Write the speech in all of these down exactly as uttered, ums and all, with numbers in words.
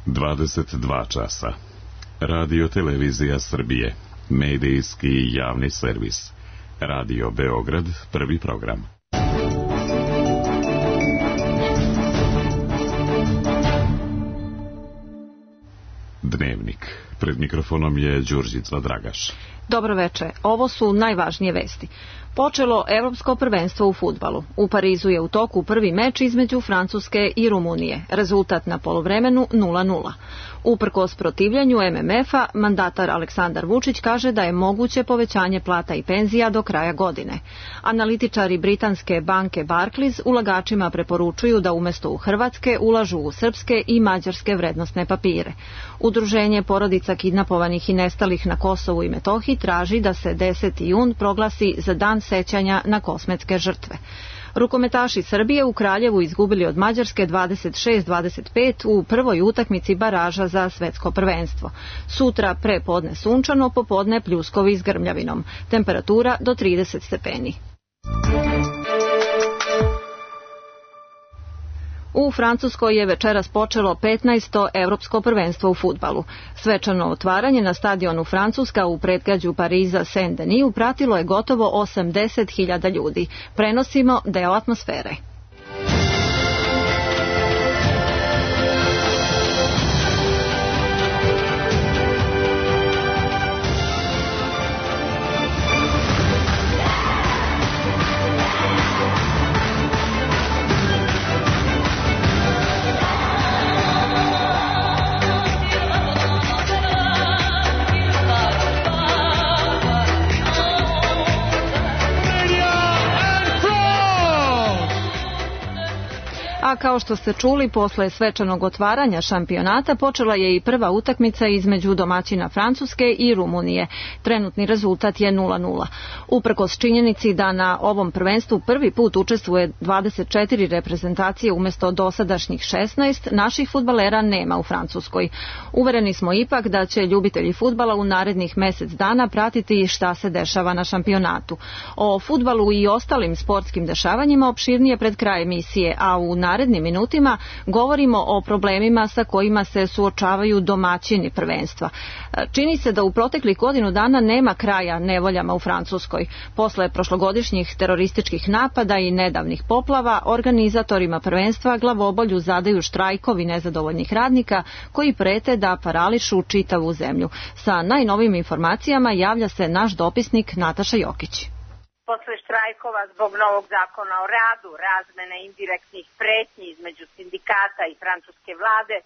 dvadeset dva časa. Radio Televizija Srbije, medijski javni servis. Radio Beograd, prvi program. Dnevnik. Pred mikrofonom je Đurđica Dragaš. Dobro veče. Ovo su najvažnije vesti. Počelo Evropsko prvenstvo u fudbalu. U Parizu je u toku prvi meč između Francuske i Rumunije. Rezultat na poluvremenu nula nula. Uprkos protivljanju em em ef-a, mandatar Aleksandar Vučić kaže da je moguće povećanje plata i penzija do kraja godine. Analitičari britanske banke Barclays ulagačima preporučuju da umjesto u Hrvatske ulažu u srpske i mađarske vrednosne papire. Udruženje porodica kidnapovanih i nestalih na Kosovu i Metohiji traži da se deseti jun proglasi za dan sećanja na kosmetske žrtve. Rukometaši Srbije u Kraljevu izgubili od Mađarske dvadeset šest dvadeset pet u prvoj utakmici baraža za svetsko prvenstvo. Sutra pre podne sunčano, popodne pljuskovi s grmljavinom. Temperatura do trideset stepeni. U Francuskoj je večeras počelo petnaesto Evropsko prvenstvo u fudbalu. Svečano otvaranje na stadionu Francuska u predgrađu Pariza Saint-Denis pratilo je gotovo osamdeset hiljada ljudi. Prenosimo deo atmosfere. A kao što ste čuli, posle svečanog otvaranja šampionata počela je i prva utakmica između domaćina Francuske i Rumunije. Trenutni rezultat je nula nula. Uprkos činjenici da na ovom prvenstvu prvi put učestvuje dvadeset četiri reprezentacije umjesto dosadašnjih šesnaest, naših fudbalera nema u Francuskoj. Uvereni smo ipak da će ljubitelji fudbala u narednih mesec dana pratiti šta se dešava na šampionatu. O fudbalu i ostalim sportskim dešavanjima opširnije pred kraj emisije, a u narednim minutima govorimo o problemima sa kojima se suočavaju domaćini prvenstva. Čini se da u proteklih godinu dana nema kraja nevoljama u Francuskoj. Posle prošlogodišnjih terorističkih napada i nedavnih poplava, organizatorima prvenstva glavobolju zadaju štrajkovi nezadovoljnih radnika koji prete da parališu čitavu zemlju. Sa najnovijim informacijama javlja se naš dopisnik Nataša Jokić. Posle štrajkova zbog novog zakona o radu, razmene indirektnih pretnji između sindikata i francuske vlade,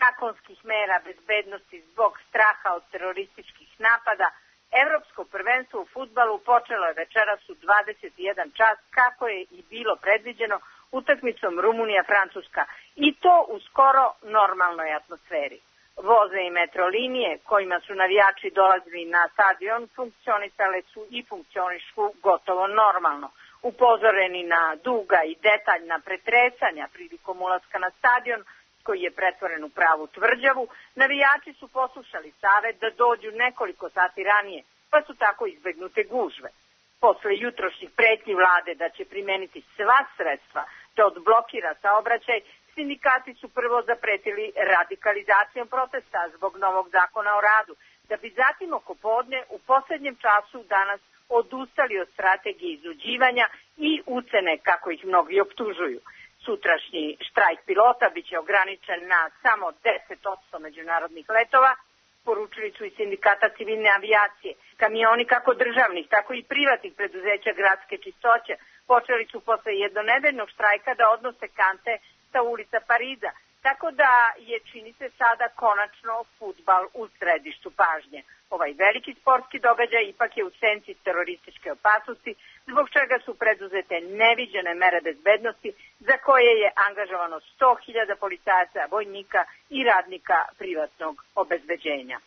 zakonskih mera bezbednosti zbog straha od terorističkih napada, Evropsko prvenstvo u fudbalu počelo je večeras u dvadeset jedan čas, kako je i bilo predviđeno, utakmicom Rumunija-Francuska, i to u skoro normalnoj atmosferi. Voze i metrolinije kojima su navijači dolazili na stadion funkcionisale su i funkcionišu gotovo normalno. Upozoreni na duga i detaljna pretresanja prilikom ulaska na stadion, koji je pretvoren u pravu tvrđavu, navijači su poslušali savet da dođu nekoliko sati ranije, pa su tako izbegnute gužve. Posle jutrošnjih pretnji vlade da će primeniti sva sredstva da odblokira saobraćaj, sindikati su prvo zapretili radikalizacijom protesta zbog novog zakona o radu, da bi zatim oko podne u posljednjem času danas odustali od strategije iznuđivanja i ucene, kako ih mnogi optužuju. Sutrašnji štrajk pilota biće ograničen na samo deset posto međunarodnih letova, poručili su i sindikata civilne avijacije. Kamioni kako državnih, tako i privatnih preduzeća gradske čistoće počeli su posle jednonedeljnog štrajka da odnose kante sa ulica Pariza, tako da je, čini se, sada konačno fudbal u središtu pažnje. Ovaj veliki sportski događaj ipak je u senci terorističke opasnosti, zbog čega su preduzete neviđene mere bezbednosti, za koje je angažovano sto hiljada policajaca, vojnika i radnika privatnog obezbeđenja.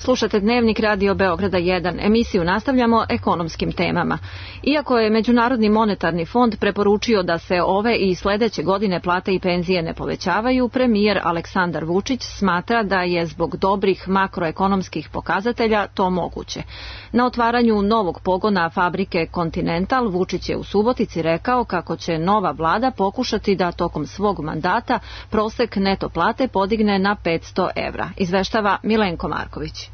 Slušate Dnevnik Radio Beograda jedan. Emisiju nastavljamo ekonomskim temama. Iako je Međunarodni monetarni fond preporučio da se ove i sledeće godine plate i penzije ne povećavaju, premijer Aleksandar Vučić smatra da je zbog dobrih makroekonomskih pokazatelja to moguće. Na otvaranju novog pogona fabrike Continental Vučić je u Subotici rekao kako će nova vlada pokušati da tokom svog mandata prosek neto plate podigne na petsto evra. Izveštava Milenko Marković.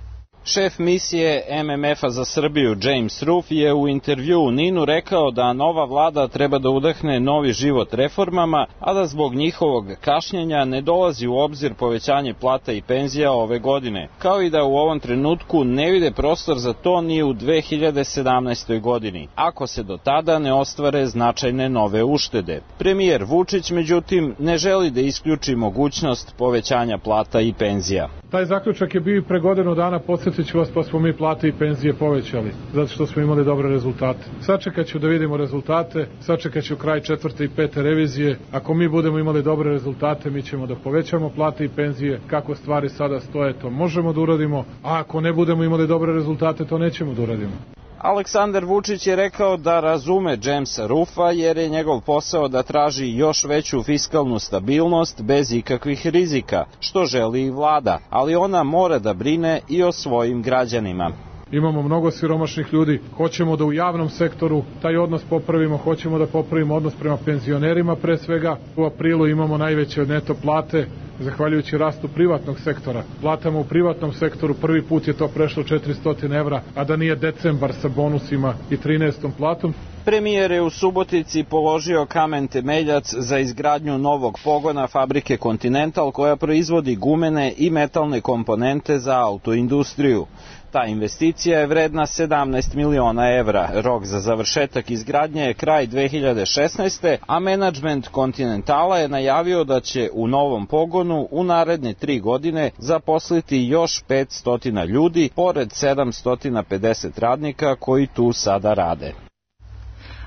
Šef misije M M F-a za Srbiju James Ruff je u intervju u Ninu rekao da nova vlada treba da udahne novi život reformama, a da zbog njihovog kašnjenja ne dolazi u obzir povećanje plata i penzija ove godine, kao i da u ovom trenutku ne vide prostor za to ni u dve hiljade sedamnaestoj. godini, ako se do tada ne ostvare značajne nove uštede. Premijer Vučić, međutim, ne želi da isključi mogućnost povećanja plata i penzija. Taj zaključak je bio i pre godinu dana, podsjetit ću vas, pa smo mi plate i penzije povećali, zato što smo imali dobre rezultate. Sačekat ću da vidimo rezultate, sačekat ću kraj četvrte i pete revizije. Ako mi budemo imali dobre rezultate, mi ćemo da povećamo plate i penzije. Kako stvari sada stoje, to možemo da uradimo, a ako ne budemo imali dobre rezultate, to nećemo da uradimo. Aleksandar Vučić je rekao da razume Jamesa Ruffa jer je njegov posao da traži još veću fiskalnu stabilnost bez ikakvih rizika, što želi i vlada, ali ona mora da brine i o svojim građanima. Imamo mnogo siromašnih ljudi, hoćemo da u javnom sektoru taj odnos popravimo, hoćemo da popravimo odnos prema penzionerima pre svega. U aprilu imamo najveće neto plate, zahvaljujući rastu privatnog sektora. Platama u privatnom sektoru prvi put je to prešlo četiristo evra, a da nije decembar sa bonusima i trinaestom platom. Premijer je u Subotici položio kamen temeljac za izgradnju novog pogona fabrike Continental koja proizvodi gumene i metalne komponente za autoindustriju. Ta investicija je vredna sedamnaest miliona evra. Rok za završetak izgradnje je kraj dve hiljade šesnaeste. a menadžment Continentala je najavio da će u novom pogonu u naredne tri godine zaposliti još petsto ljudi, pored sedamsto pedeset radnika koji tu sada rade.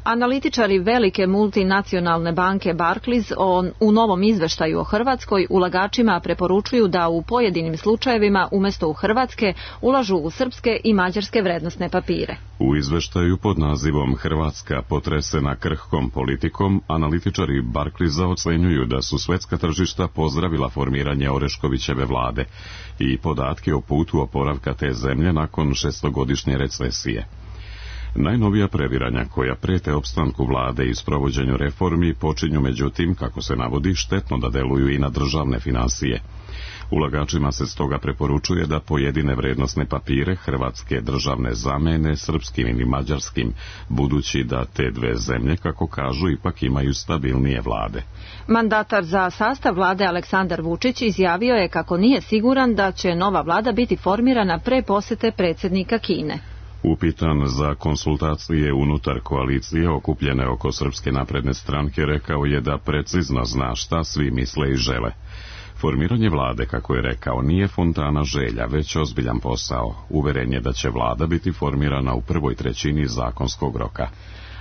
Analitičari velike multinacionalne banke Barclays on, u novom izveštaju o Hrvatskoj ulagačima preporučuju da u pojedinim slučajevima umesto u hrvatske ulažu u srpske i mađarske vrednosne papire. U izveštaju pod nazivom Hrvatska potresena krhkom politikom, analitičari Barclaysa ocenjuju da su svetska tržišta pozdravila formiranje Oreškovićeve vlade i podatke o putu oporavka te zemlje nakon šestogodišnje recesije. Najnovija previranja koja prete opstanku vlade i sprovođenju reformi počinju međutim, kako se navodi, štetno da deluju i na državne finansije. Ulagačima se stoga preporučuje da pojedine vrednosne papire hrvatske državne zamene srpskim ili mađarskim, budući da te dve zemlje, kako kažu, ipak imaju stabilnije vlade. Mandatar za sastav vlade Aleksandar Vučić izjavio je kako nije siguran da će nova vlada biti formirana pre posete predsjednika Kine. Upitan za konsultacije unutar koalicije okupljene oko Srpske napredne stranke, rekao je da precizno zna šta svi misle i žele. Formiranje vlade, kako je rekao, nije fontana želja, već ozbiljan posao. Uveren je da će vlada biti formirana u prvoj trećini zakonskog roka.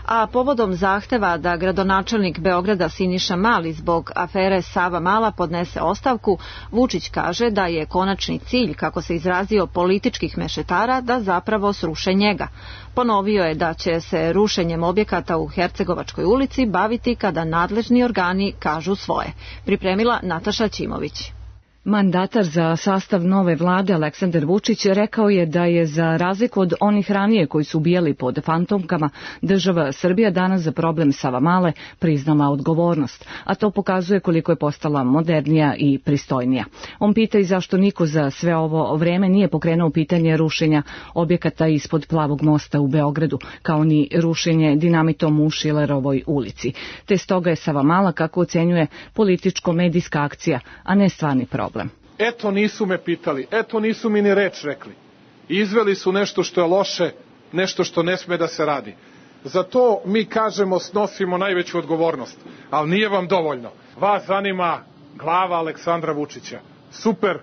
A povodom zahteva da gradonačelnik Beograda Siniša Mali zbog afere Sava Mala podnese ostavku, Vučić kaže da je konačni cilj, kako se izrazio, političkih mešetara da zapravo sruše njega. Ponovio je da će se rušenjem objekata u Hercegovačkoj ulici baviti kada nadležni organi kažu svoje. Pripremila Nataša Ćimović. Mandatar za sastav nove vlade Aleksandar Vučić rekao je da je za razliku od onih ranije koji su ubijali pod fantomkama, država Srbija danas za problem Savamale priznala odgovornost, a to pokazuje koliko je postala modernija i pristojnija. On pita i zašto niko za sve ovo vreme nije pokrenuo pitanje rušenja objekata ispod Plavog mosta u Beogradu, kao ni rušenje dinamitom u Šilerovoj ulici. Te stoga je Savamala, kako ocenjuje, političko-medijska akcija, a ne stvarni problem. Eto nisu me pitali, eto nisu mi ni reč rekli. Izveli su nešto što je loše, nešto što ne sme da se radi. Za to mi kažemo snosimo najveću odgovornost, ali nije vam dovoljno. Vas zanima glava Aleksandra Vučića. Super,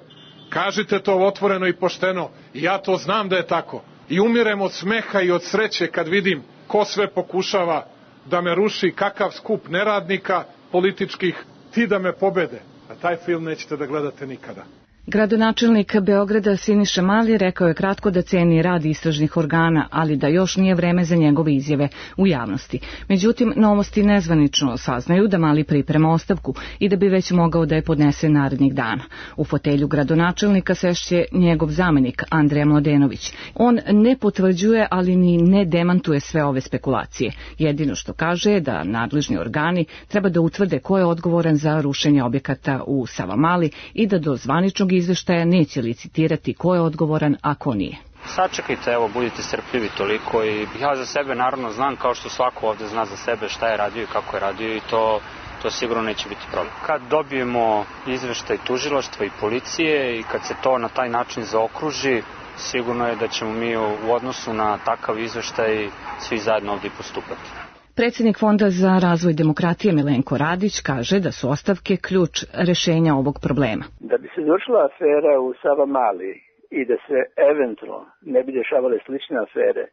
kažite to otvoreno i pošteno, i ja to znam da je tako. I umirem od smeha i od sreće kad vidim ko sve pokušava da me ruši, kakav skup neradnika političkih, ti da me pobede. A taj film nećete da gledate nikada. Gradonačelnik Beograda Siniša Mali rekao je kratko da ceni rad istražnih organa, ali da još nije vreme za njegove izjave u javnosti. Međutim, Novosti nezvanično saznaju da Mali priprema ostavku i da bi već mogao da je podnese narednih dana. U fotelju gradonačelnika sešće njegov zamenik Andreja Mladenović. On ne potvrđuje, ali ni ne demantuje sve ove spekulacije. Jedino što kaže je da nadležni organi treba da utvrde ko je odgovoran za rušenje objekata u Savamali i da do zvaničnog izveštaja neće licitirati ko je odgovoran, a ko nije. Sačekajte, evo, budite strpljivi toliko i ja za sebe naravno znam, kao što svako ovde zna za sebe šta je radio i kako je radio i to, to sigurno neće biti problem. Kad dobijemo izveštaj tužilaštva i policije i kad se to na taj način zaokruži, sigurno je da ćemo mi u odnosu na takav izveštaj svi zajedno ovdje postupati. Predsjednik Fonda za razvoj demokratije Milenko Radić kaže da su ostavke ključ rešenja ovog problema. Da bi se završila afera u Savamali i da se eventualno ne bi dešavale slične afere,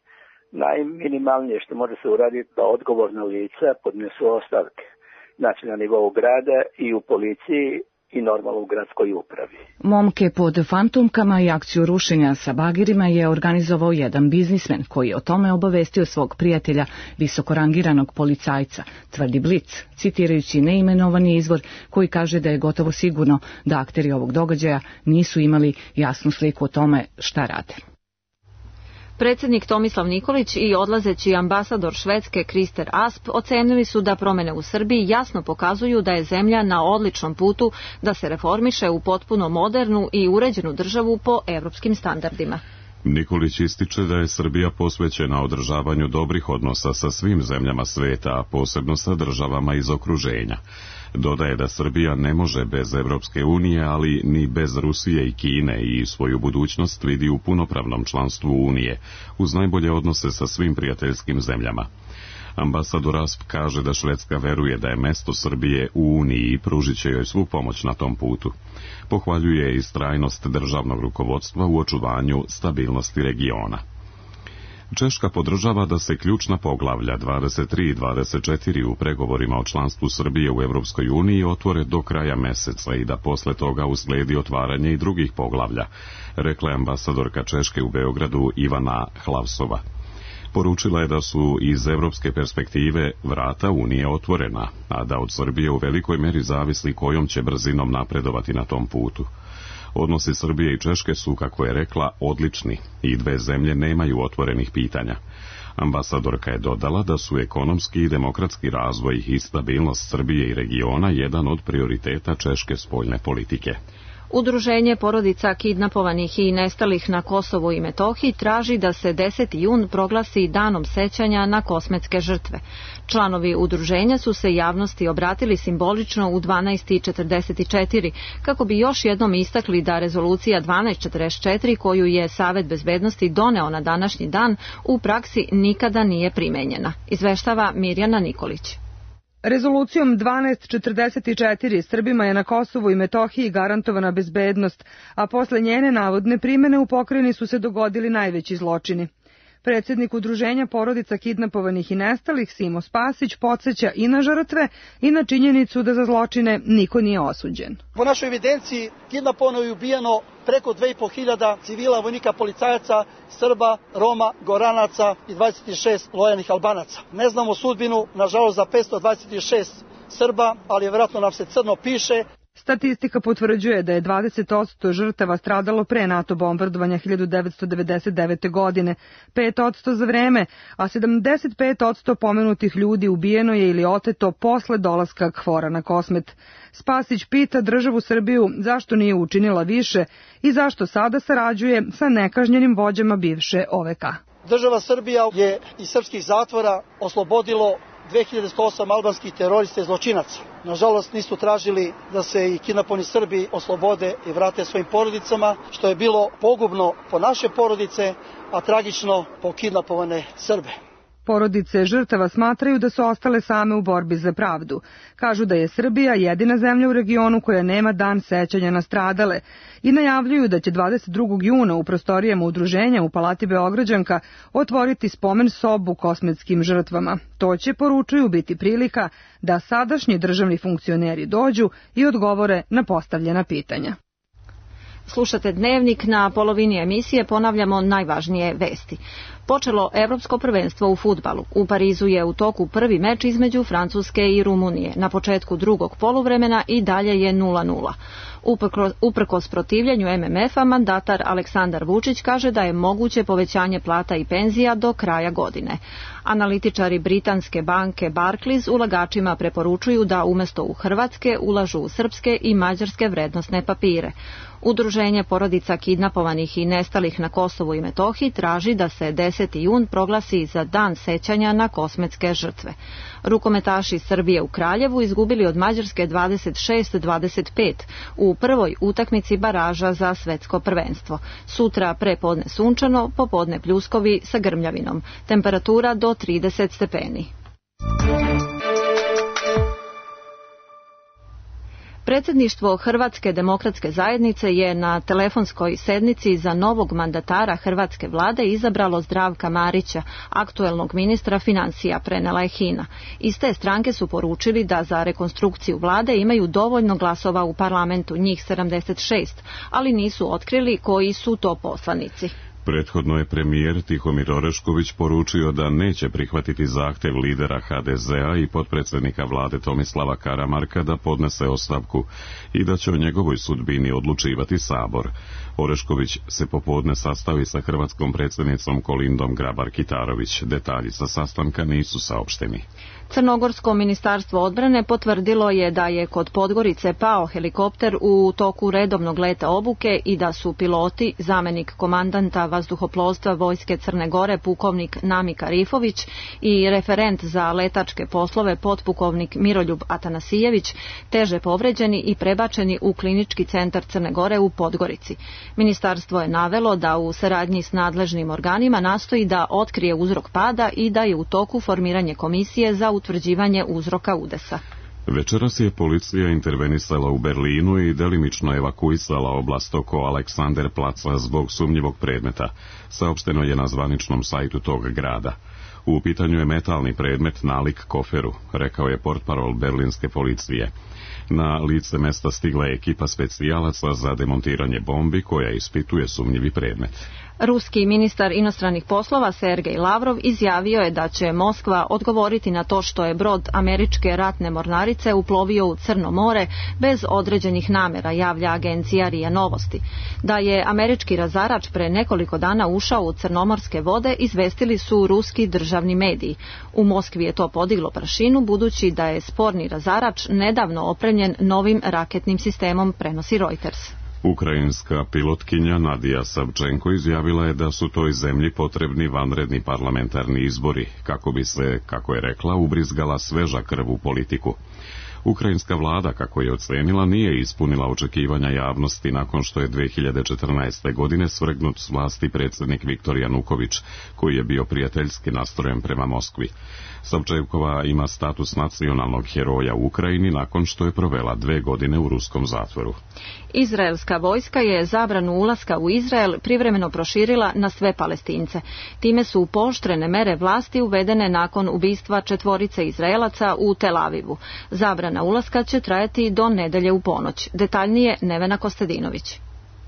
najminimalnije što može se uraditi da odgovorna lica podnesu ostavke, znači na nivou grada i u policiji i normalno u gradskoj upravi. Momke pod fantomkama i akciju rušenja sa bagirima je organizovao jedan biznismen koji je o tome obavestio svog prijatelja, visokorangiranog policajca, tvrdi Blic, citirajući neimenovani izvor koji kaže da je gotovo sigurno da akteri ovog događaja nisu imali jasnu sliku o tome šta rade. Predsjednik Tomislav Nikolić i odlazeći ambasador Švedske Krister Asp ocenili su da promene u Srbiji jasno pokazuju da je zemlja na odličnom putu da se reformiše u potpuno modernu i uređenu državu po evropskim standardima. Nikolić ističe da je Srbija posvećena održavanju dobrih odnosa sa svim zemljama sveta, a posebno sa državama iz okruženja. Dodaje da Srbija ne može bez Evropske unije, ali ni bez Rusije i Kine i svoju budućnost vidi u punopravnom članstvu Unije, uz najbolje odnose sa svim prijateljskim zemljama. Ambasador Asp kaže da Švedska veruje da je mesto Srbije u Uniji i pružit će joj svu pomoć na tom putu. Pohvaljuje i istrajnost državnog rukovodstva u očuvanju stabilnosti regiona. Češka podržava da se ključna poglavlja dvadeset tri i dvadeset četiri u pregovorima o članstvu Srbije u Evropskoj uniji otvore do kraja meseca i da posle toga usledi otvaranje i drugih poglavlja, rekla je ambasadorka Češke u Beogradu Ivana Hlavsova. Poručila je da su iz evropske perspektive vrata Unije otvorena, a da od Srbije u velikoj meri zavisi kojom će brzinom napredovati na tom putu. Odnosi Srbije i Češke su, kako je rekla, odlični i dve zemlje nemaju otvorenih pitanja. Ambasadorka je dodala da su ekonomski i demokratski razvoj i stabilnost Srbije i regiona jedan od prioriteta češke spoljne politike. Udruženje porodica kidnapovanih i nestalih na Kosovu i Metohiji traži da se deseti jun proglasi danom sećanja na kosmetske žrtve. Članovi udruženja su se javnosti obratili simbolično u dvanaest četrdeset četiri kako bi još jednom istakli da rezolucija dvanaest četrdeset četiri koju je Savet bezbednosti doneo na današnji dan u praksi nikada nije primenjena. Izveštava Mirjana Nikolić. Rezolucijom dvanaest četrdeset četiri Srbima je na Kosovu i Metohiji garantovana bezbednost, a posle njene navodne primene u pokrajini su se dogodili najveći zločini. Predsjednik udruženja porodica kidnapovanih i nestalih Simo Spasić podsjeća i na žrtve i na činjenicu da za zločine niko nije osuđen. Po našoj evidenciji kidnapovano i ubijeno preko dve i po hiljade civila, vojnika, policajaca, Srba, Roma, Goranaca i dvadeset šest lojalnih Albanaca. Ne znamo sudbinu, nažalost, za petsto dvadeset šest Srba, ali vjerojatno nam se crno piše. Statistika potvrđuje da je dvadeset posto žrtava stradalo pre NATO bombardovanja hiljadu devetsto devedeset devete. godine, pet posto za vreme, a sedamdeset pet posto pomenutih ljudi ubijeno je ili oteto posle dolaska KFOR-a na Kosmet. Spasić pita državu Srbiju zašto nije učinila više i zašto sada sarađuje sa nekažnjenim vođama bivše O V K. Država Srbija je iz srpskih zatvora oslobodilo dve hiljade sto osam albanskih terorista i zločinaca. Nažalost, nisu tražili da se i kidnapovani Srbi oslobode i vrate svojim porodicama, što je bilo pogubno po naše porodice, a tragično po kidnapovane Srbe. Porodice žrtava smatraju da su ostale same u borbi za pravdu. Kažu da je Srbija jedina zemlja u regionu koja nema dan sećanja na stradale i najavljuju da će dvadeset drugog juna u prostorijama udruženja u Palati Beograđanka otvoriti spomen sobu kosmetskim žrtvama. To će, poručuju, biti prilika da sadašnji državni funkcioneri dođu i odgovore na postavljena pitanja. Slušate Dnevnik, na polovini emisije ponavljamo najvažnije vesti. Počelo Evropsko prvenstvo u fudbalu. U Parizu je u toku prvi meč između Francuske i Rumunije. Na početku drugog poluvremena i dalje je nula nula. Uprkos protivljenju em em ef-a, mandatar Aleksandar Vučić kaže da je moguće povećanje plata i penzija do kraja godine. Analitičari britanske banke Barclays ulagačima preporučuju da umjesto u hrvatske ulažu u srpske i mađarske vrednosne papire. Udruženje porodica kidnapovanih i nestalih na Kosovu i Metohiji traži da se deseti jun proglasi za dan sećanja na kosmetske žrtve. Rukometaši Srbije u Kraljevu izgubili od Mađarske dvadeset šest dvadeset pet u prvoj utakmici baraža za svetsko prvenstvo. Sutra prepodne sunčano, popodne pljuskovi sa grmljavinom. Temperatura do trideset stepeni. Predsjedništvo Hrvatske demokratske zajednice je na telefonskoj sednici za novog mandatara hrvatske vlade izabralo Zdravka Marića, aktuelnog ministra financija, prenela je Hina. Iz te stranke su poručili da za rekonstrukciju vlade imaju dovoljno glasova u parlamentu, njih sedamdeset šest, ali nisu otkrili koji su to poslanici. Prethodno je premijer Tihomir Orešković poručio da neće prihvatiti zahtev lidera ha de zea i potpredsjednika vlade Tomislava Karamarka da podnese ostavku i da će o njegovoj sudbini odlučivati Sabor. Orešković se popodne sastavi sa hrvatskom predsjednicom Kolindom Grabar-Kitarović. Detalji sa sastanka nisu saopšteni. Crnogorsko ministarstvo odbrane potvrdilo je da je kod Podgorice pao helikopter u toku redovnog leta obuke i da su piloti, zamenik komandanta vazduhoplovstva Vojske Crne Gore pukovnik Namika Rifović i referent za letačke poslove potpukovnik Miroljub Atanasijević teže povređeni i prebačeni u klinički centar Crne Gore u Podgorici. Ministarstvo je navelo da u saradnji s nadležnim organima nastoji da otkrije uzrok pada i da je u toku formiranje komisije za utvrđivanje uzroka udesa. Večeras je policija intervenisala u Berlinu i delimično evakuisala oblast oko Aleksanderplaca zbog sumnjivog predmeta, saopšteno je na zvaničnom sajtu tog grada. U pitanju je metalni predmet nalik koferu, rekao je portparol berlinske policije. Na lice mesta stigla je ekipa specijalaca za demontiranje bombi koja ispituje sumnjivi predmet. Ruski ministar inostranih poslova Sergej Lavrov izjavio je da će Moskva odgovoriti na to što je brod američke ratne mornarice uplovio u Crno more bez određenih namera, javlja agencija R I A Novosti. Da je američki razarač pre nekoliko dana ušao u crnomorske vode, izvestili su ruski državni mediji. U Moskvi je to podiglo prašinu budući da je sporni razarač nedavno opremljen novim raketnim sistemom, prenosi Reuters. Ukrajinska pilotkinja Nadija Savčenko izjavila je da su toj zemlji potrebni vanredni parlamentarni izbori, kako bi se, kako je rekla, ubrizgala sveža krv u politiku. Ukrajinska vlada, kako je ocenila, nije ispunila očekivanja javnosti nakon što je dve hiljade četrnaeste. godine svrgnut s vlasti predsjednik Viktor Januković, koji je bio prijateljski nastrojen prema Moskvi. Savčenkova ima status nacionalnog heroja u Ukrajini nakon što je provela dve godine u ruskom zatvoru. Izraelska vojska je zabranu ulaska u Izrael privremeno proširila na sve Palestince. Time su pooštrene mere vlasti uvedene nakon ubistva četvorice Izraelaca u Tel Avivu. Zabrana ulaska će trajati do nedelje u ponoć. Detaljnije Nevena Kostadinović.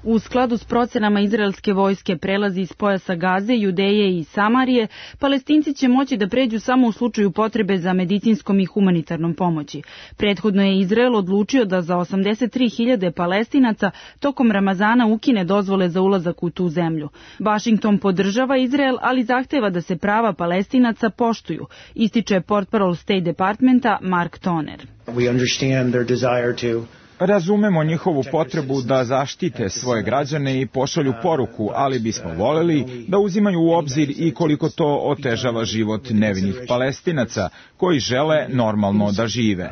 U skladu s procenama izraelske vojske prelazi iz pojasa Gaze, Judeje i Samarije, Palestinci će moći da pređu samo u slučaju potrebe za medicinskom i humanitarnom pomoći. Prethodno je Izrael odlučio da za osamdeset tri hiljade Palestinaca tokom Ramazana ukine dozvole za ulazak u tu zemlju. Washington podržava Izrael, ali zahteva da se prava Palestinaca poštuju, ističe portparol State Departmenta Mark Toner. We understand their desire to Razumemo njihovu potrebu da zaštite svoje građane i pošalju poruku, ali bismo voljeli da uzimaju u obzir i koliko to otežava život nevinih Palestinaca koji žele normalno da žive.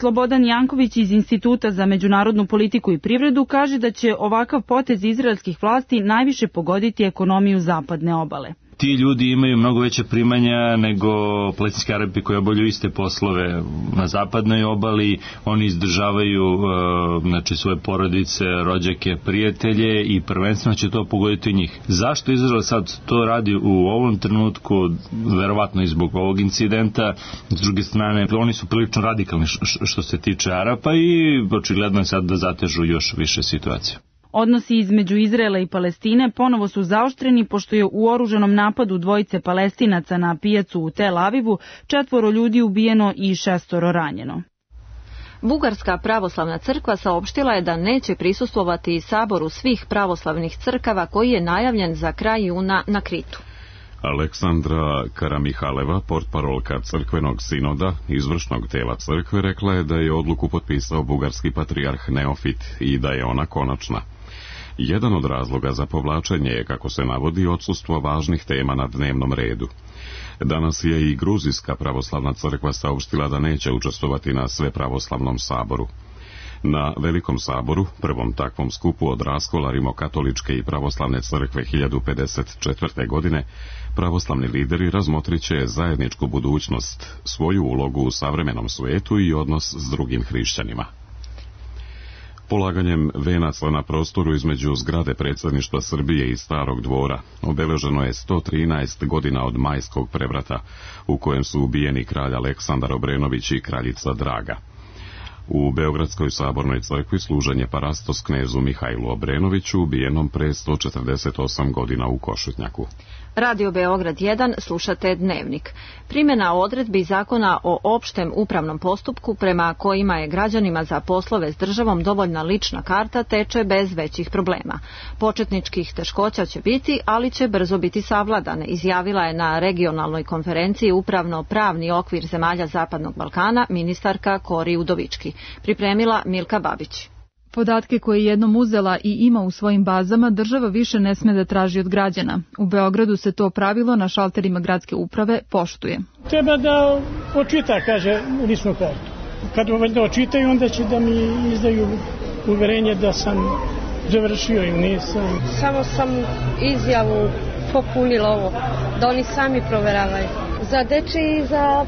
Slobodan Janković iz Instituta za međunarodnu politiku i privredu kaže da će ovakav potez izraelskih vlasti najviše pogoditi ekonomiju zapadne obale. ti ljudi imaju mnogo veće primanja nego Plecinski Arapi koji obavljaju iste poslove na zapadnoj obali, oni izdržavaju znači svoje porodice, rođake, prijatelje i prvenstveno će to pogoditi njih. Zašto Izrael sad to radi u ovom trenutku, verovatno i zbog ovog incidenta, s druge strane oni su prilično radikalni što se tiče Arapa i očigledno je sad da zatežu još više situaciju. Odnosi između Izraela i Palestine ponovo su zaoštreni pošto je u oružanom napadu dvojice Palestinaca na pijacu u Tel Avivu četvoro ljudi ubijeno i šestoro ranjeno. Bugarska pravoslavna crkva saopštila je da neće prisustvovati saboru svih pravoslavnih crkava koji je najavljen za kraj juna na Kritu. Aleksandra Karamihaleva, portparolka crkvenog sinoda, izvršnog tela crkve, rekla je da je odluku potpisao bugarski patrijarh Neofit i da je ona konačna. Jedan od razloga za povlačenje je, kako se navodi, odsustvo važnih tema na dnevnom redu. Danas je i Gruzijska pravoslavna crkva saopštila da neće učestvovati na Svepravoslavnom saboru. Na Velikom saboru, prvom takvom skupu od raskola rimokatoličke i pravoslavne crkve hiljadu pedeset četvrte. godine, pravoslavni lideri razmotrit će zajedničku budućnost, svoju ulogu u savremenom svijetu i odnos s drugim hrišćanima. Polaganjem venaca na prostoru između zgrade predsjedništva Srbije i Starog dvora obeleženo je sto trinaest godina od Majskog prevrata, u kojem su ubijeni kralj Aleksandar Obrenović i kraljica Draga. U Beogradskoj sabornoj crkvi služen je parastos knezu Mihajlu Obrenoviću, ubijenom pre sto četrdeset osam godina u Košutnjaku. Radio Beograd jedan, slušate Dnevnik. Primjena odredbi zakona o opštem upravnom postupku prema kojima je građanima za poslove s državom dovoljna lična karta teče bez većih problema. Početničkih teškoća će biti, ali će brzo biti savladane, izjavila je na regionalnoj konferenciji Upravno-pravni okvir zemalja Zapadnog Balkana ministarka Kori Udovički. Pripremila Milka Babić. Podatke koje je jednom uzela i ima u svojim bazama država više ne sme da traži od građana. U Beogradu se to pravilo na šalterima gradske uprave poštuje. Treba da očita, kaže, ličnu kartu. Kad da očitaju, onda će da mi izdaju uverenje da sam završio ili nisam. Samo sam izjavu popunila ovo, da oni sami proveravaju. Za dečiji i za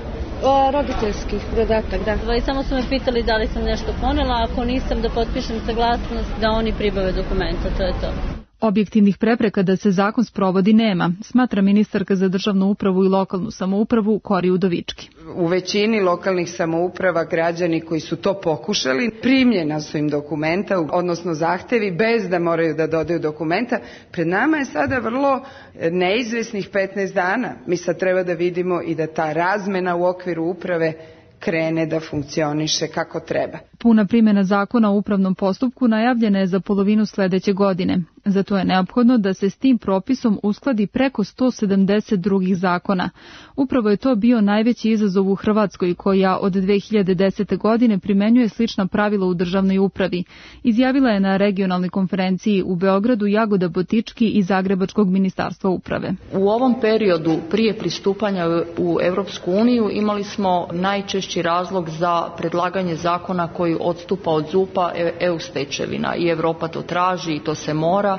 roditeljskih dodatak, da. I samo su me pitali da li sam nešto ponela, ako nisam da potpišem saglasnost da oni pribave dokumenta, to je to. Objektivnih prepreka da se zakon sprovodi nema, smatra ministarka za državnu upravu i lokalnu samoupravu Kori Udovički. U većini lokalnih samouprava građani koji su to pokušali, primljena su im dokumenta, odnosno zahtevi, bez da moraju da dodaju dokumenta. Pred nama je sada vrlo neizvesnih petnaest dana. Mi sad treba da vidimo i da ta razmena u okviru uprave krene da funkcioniše kako treba. Puna primjena zakona o upravnom postupku najavljena je za polovinu sledeće godine. Zato je neophodno da se s tim propisom uskladi preko sto sedamdeset drugih zakona. Upravo je to bio najveći izazov u Hrvatskoj, koja od dve hiljade desete. godine primenjuje slična pravila u državnoj upravi. Izjavila je na regionalnoj konferenciji u Beogradu Jagoda Botički iz Zagrebačkog ministarstva uprave. U ovom periodu prije pristupanja u Evropsku uniju imali smo najčešći razlog za predlaganje zakona koji odstupa od Z U P-a E U stečevina i Evropa to traži i to se mora.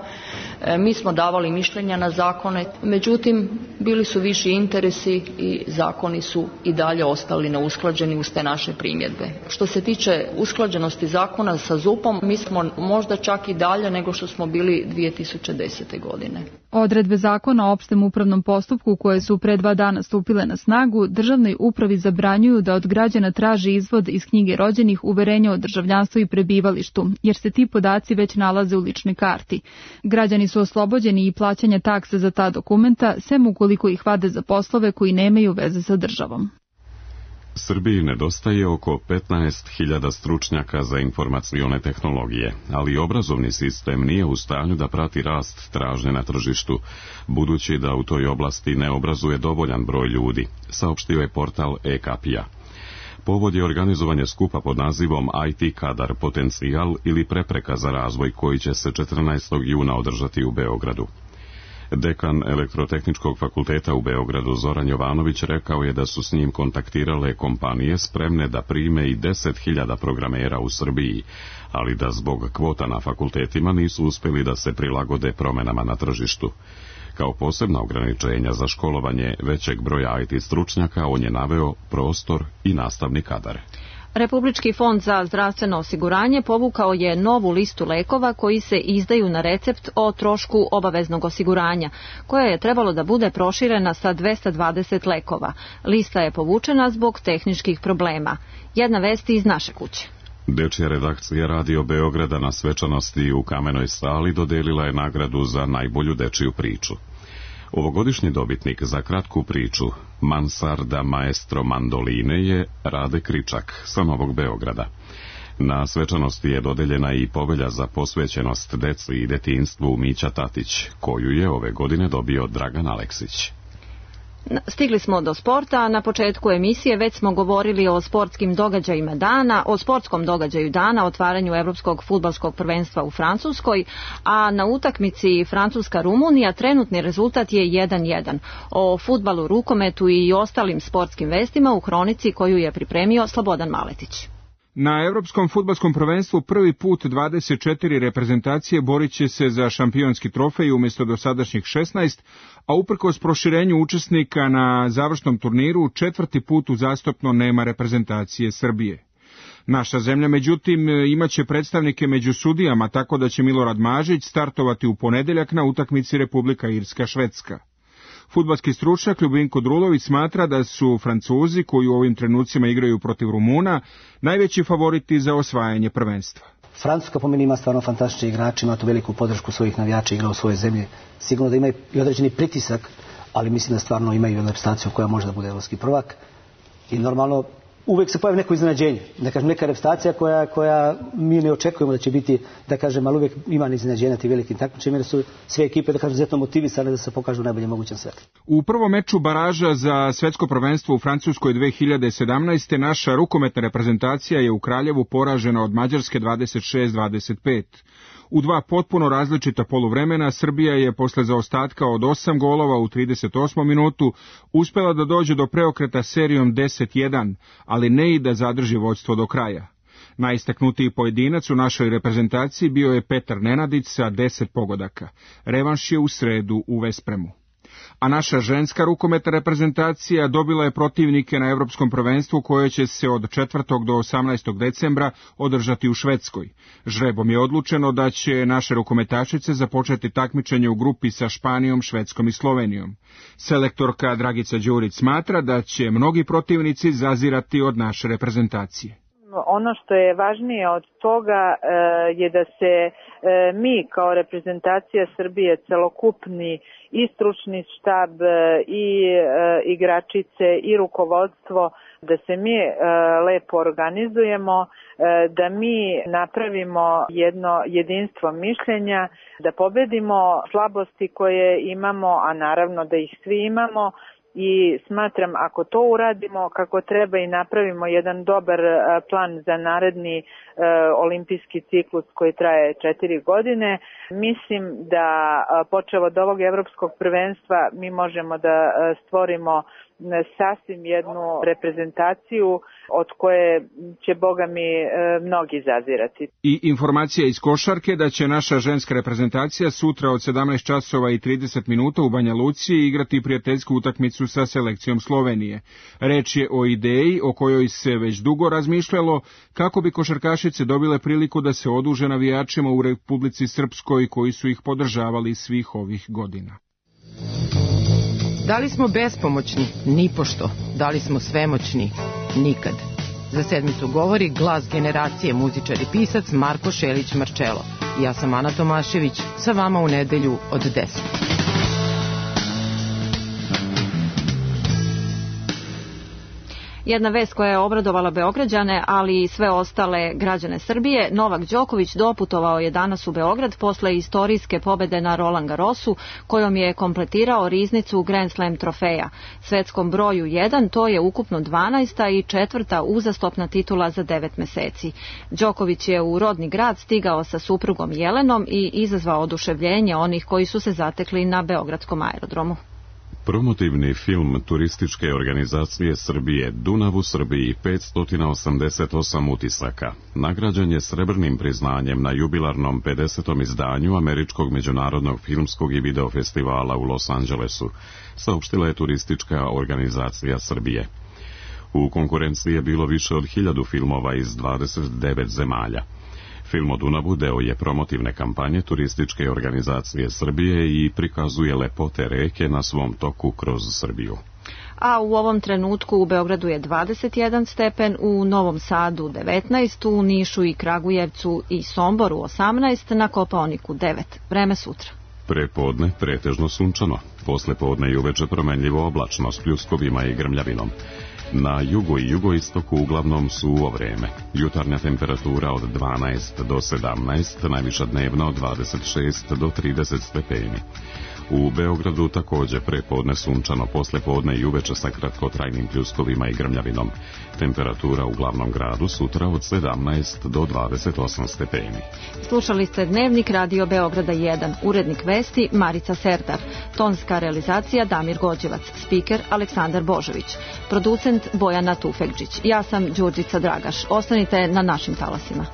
Mi smo davali mišljenja na zakone, međutim bili su viši interesi i zakoni su i dalje ostali neusklađeni uz te naše primjedbe. Što se tiče usklađenosti zakona sa Z U P-om, mi smo možda čak i dalje nego što smo bili dvije tisuće desete. godine. Odredbe zakona o opštem upravnom postupku koje su pre dva dana stupile na snagu, državnoj upravi zabranjuju da od građana traži izvod iz knjige rođenih, uverenja o državljanstvu i prebivalištu, jer se ti podaci već nalaze u ličnoj karti. Građani su oslobođeni i plaćanja takse za ta dokumenta, sem ukoliko ih vade za poslove koji nemaju veze sa državom. Srbiji nedostaje oko petnaest hiljada stručnjaka za informacione tehnologije, ali obrazovni sistem nije u stanju da prati rast tražnje na tržištu, budući da u toj oblasti ne obrazuje dovoljan broj ljudi, saopštio je portal e-Kapija. Povod je organizovanje skupa pod nazivom I T kadar potencijal ili prepreka za razvoj, koji će se četrnaestog juna održati u Beogradu. Dekan Elektrotehničkog fakulteta u Beogradu Zoran Jovanović rekao je da su s njim kontaktirale kompanije spremne da prime i deset hiljada programera u Srbiji, ali da zbog kvota na fakultetima nisu uspjeli da se prilagode promenama na tržištu. Kao posebna ograničenja za školovanje većeg broja I T stručnjaka on je naveo prostor i nastavni kadar. Republički fond za zdravstveno osiguranje povukao je novu listu lekova koji se izdaju na recept o trošku obaveznog osiguranja, koja je trebalo da bude proširena sa dvesta dvadeset lekova. Lista je povučena zbog tehničkih problema. Jedna vest iz naše kuće. Dečija redakcija Radio Beograda na svečanosti u Kamenoj sali dodelila je nagradu za najbolju dečiju priču. Ovogodišnji dobitnik za kratku priču Mansarda maestro mandoline je Rade Kričak sa Novog Beograda. Na svečanosti je dodeljena i povelja za posvećenost deci i detinjstvu Mića Tatić, koju je ove godine dobio Dragan Aleksić. Stigli smo do sporta. Na početku emisije već smo govorili o sportskim događajima dana, o sportskom događaju dana, otvaranju Evropskog fudbalskog prvenstva u Francuskoj, a na utakmici Francuska-Rumunija trenutni rezultat je jedan jedan. O fudbalu, rukometu i ostalim sportskim vestima u hronici koju je pripremio Slobodan Maletić. Na Evropskom fudbalskom prvenstvu prvi put dvadeset četiri reprezentacije borit će se za šampionski trofej umjesto dosadašnjih šesnaest, a uprkos proširenju učesnika na završnom turniru četvrti put uzastopno nema reprezentacije Srbije. Naša zemlja, međutim, imaće predstavnike među sudijama, tako da će Milorad Mažić startovati u ponedeljak na utakmici Republika Irska-Švedska. Fudbalski stručnjak Ljubinko Drulović smatra da su Francuzi, koji u ovim trenucima igraju protiv Rumuna, najveći favoriti za osvajanje prvenstva. Francuska po meni ima stvarno fantastične igrače, ima tu veliku podršku svojih navijača, igra u svojoj zemlji. Sigurno da ima i određeni pritisak, ali mislim da stvarno ima i reprezentaciju koja može da bude evropski prvak. I normalno uvek se pojavi neko iznenađenje, da kažem neka reprezentacija koja, koja mi ne očekujemo da će biti, da kažem, ali uvek ima iznenađenja ti velikim takmičenjima, jer su sve ekipe, da kažem, izuzetno motivisane da se pokažu u najboljem mogućem svetlu. U prvom meču baraža za svetsko prvenstvo u Francuskoj dve hiljade sedamnaeste. naša rukometna reprezentacija je u Kraljevu poražena od Mađarske dvadeset šest dvadeset pet. U dva potpuno različita poluvremena Srbija je posle zaostatka od osam golova u trideset osmom minutu uspela da dođe do preokreta serijom deset jedan, ali ne i da zadrži vođstvo do kraja. Najistaknutiji pojedinac u našoj reprezentaciji bio je Petar Nenadić sa deset pogodaka. Revanš je u sredu u Vespremu. A naša ženska rukometna reprezentacija dobila je protivnike na Evropskom prvenstvu koje će se od četvrtog do osamnaestog decembra održati u Švedskoj. Žrebom je odlučeno da će naše rukometašice započeti takmičenje u grupi sa Španijom, Švedskom i Slovenijom. Selektorka Dragica Đurić smatra da će mnogi protivnici zazirati od naše reprezentacije. Ono što je važnije od toga je da se mi kao reprezentacija Srbije, celokupni i stručni štab i igračice i rukovodstvo, da se mi lepo organizujemo, da mi napravimo jedno jedinstvo mišljenja, da pobedimo slabosti koje imamo, a naravno da ih svi imamo. I smatram, ako to uradimo kako treba i napravimo jedan dobar plan za naredni e, olimpijski ciklus koji traje četiri godine, mislim da počev od ovog evropskog prvenstva mi možemo da stvorimo sasvim jednu reprezentaciju od koje će, Boga mi, mnogi zazirati. I informacija iz košarke da će naša ženska reprezentacija sutra od sedamnaest časova i trideset minuta u Banja Luci igrati prijateljsku utakmicu sa selekcijom Slovenije. Reč je o ideji o kojoj se već dugo razmišljalo kako bi košarkašice dobile priliku da se oduže navijačima u Republici Srpskoj koji su ih podržavali svih ovih godina. Da li smo bespomoćni? Nipošto. Da li smo svemoćni? Nikad. Za sedmicu govori glas generacije, muzičar i pisac Marko Šelić-Marčelo. Ja sam Ana Tomašević, sa vama u nedelju od deset. Jedna vest koja je obradovala Beograđane, ali i sve ostale građane Srbije. Novak Đoković doputovao je danas u Beograd posle istorijske pobede na Roland Garrosu, kojom je kompletirao riznicu Grand Slam trofeja. Svetskom broju jedan to je ukupno dvanaesta i četvrta uzastopna titula za devet meseci. Đoković je u rodni grad stigao sa suprugom Jelenom i izazvao oduševljenje onih koji su se zatekli na beogradskom aerodromu. Promotivni film turističke organizacije Srbije Dunav u Srbiji petsto osamdeset osam utisaka nagrađen je srebrnim priznanjem na jubilarnom pedesetom izdanju Američkog međunarodnog filmskog i video festivala u Los Angelesu, saopštila je turistička organizacija Srbije. U konkurenciji je bilo više od hiljadu filmova iz dvadeset devet zemalja. Film o Dunavu deo je promotivne kampanje turističke organizacije Srbije i prikazuje lepote reke na svom toku kroz Srbiju. A u ovom trenutku u Beogradu je dvadeset jedan stepen, u Novom Sadu devetnaest, u Nišu i Kragujevcu i Somboru osamnaest, na Kopaoniku devet. Vreme sutra. Prepodne pretežno sunčano, posle podne i uveče promenljivo oblačno s pljuskovima i grmljavinom. Na jugu i jugoistoku uglavnom suvo vreme. Jutarnja temperatura od dvanaest do sedamnaest, najviša dnevna od dvadeset šest do trideset stepeni. U Beogradu takođe prepodne sunčano, posle podne i uveče sa kratkotrajnim pljuskovima i grmljavinom. Temperatura u glavnom gradu sutra od sedamnaest do dvadeset osam stepeni. Slušali ste Dnevnik Radio Beograda jedan, urednik vesti Marica Serdar, tonska realizacija Damir Gođevac, spiker Aleksandar Božović, producent Bojana Tufekđić. Ja sam Đurđica Dragaš. Ostanite na našim talasima.